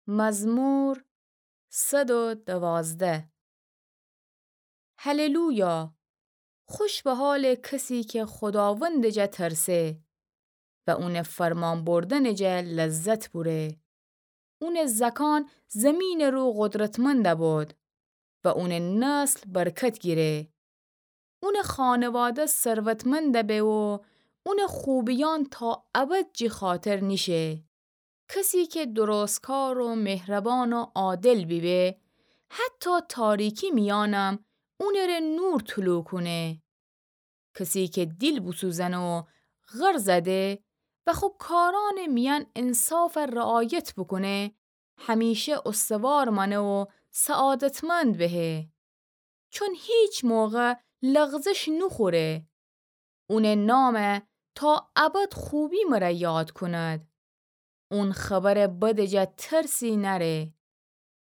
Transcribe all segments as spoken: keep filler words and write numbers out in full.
مزمور صد و دوازده. هللویا! خوش به حالٚ کسی کی خوداوندٚ جا ترسه و اونٚ فرمان بردنٚ جا لذت بوره. اونٚ زأکأن زیمینٚ رو قدرتمند بید و اونٚ نسل برکت گیره. اونٚ خانواده ثروتمند به و اونٚ خوبیأن تا ابد جی خاطر نیشه. کسی کی درستکار و مهربان و عادل بیبه، حتی تاریکی میأنم اونٚره نور طلوع کونه. کسی کی دیل بوسوزنه و غر زده و خو کارأنٚ میأن انصاف رعایت بوکونه، همیشه استوار مانه و سعادتمند بهه. چون هیچ موقع لغزش نوخوره. اونٚ نام تا ابد خوبی مره یاد کند. اون خبرٚ بدٚ جا ترسی نأره.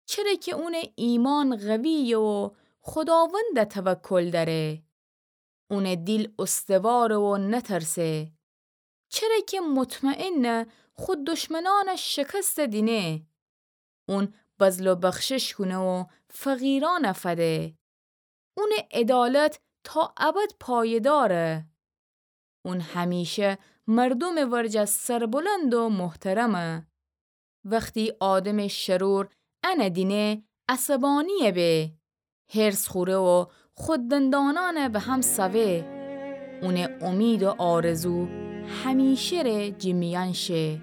چره کی اونٚ ایمأن قویه و خوداوند توکل دأره. اونٚ دیل استواره و نترسه. چره کی مطمئنه خو دشمنأن شکست دینه. اون بذل و بخشش کونه و فقیرأن فده. اونٚ عدالت تا ابد پایداره. اون همیشه مردومٚ ورجه سربلند و محترمه. وختی آدمٚ شرور انه دینه، عصبانی به، حرص خوره و خو دندانأن به هم سوه. اونٚ امید و آرزو همیشه ره جی میأن شه.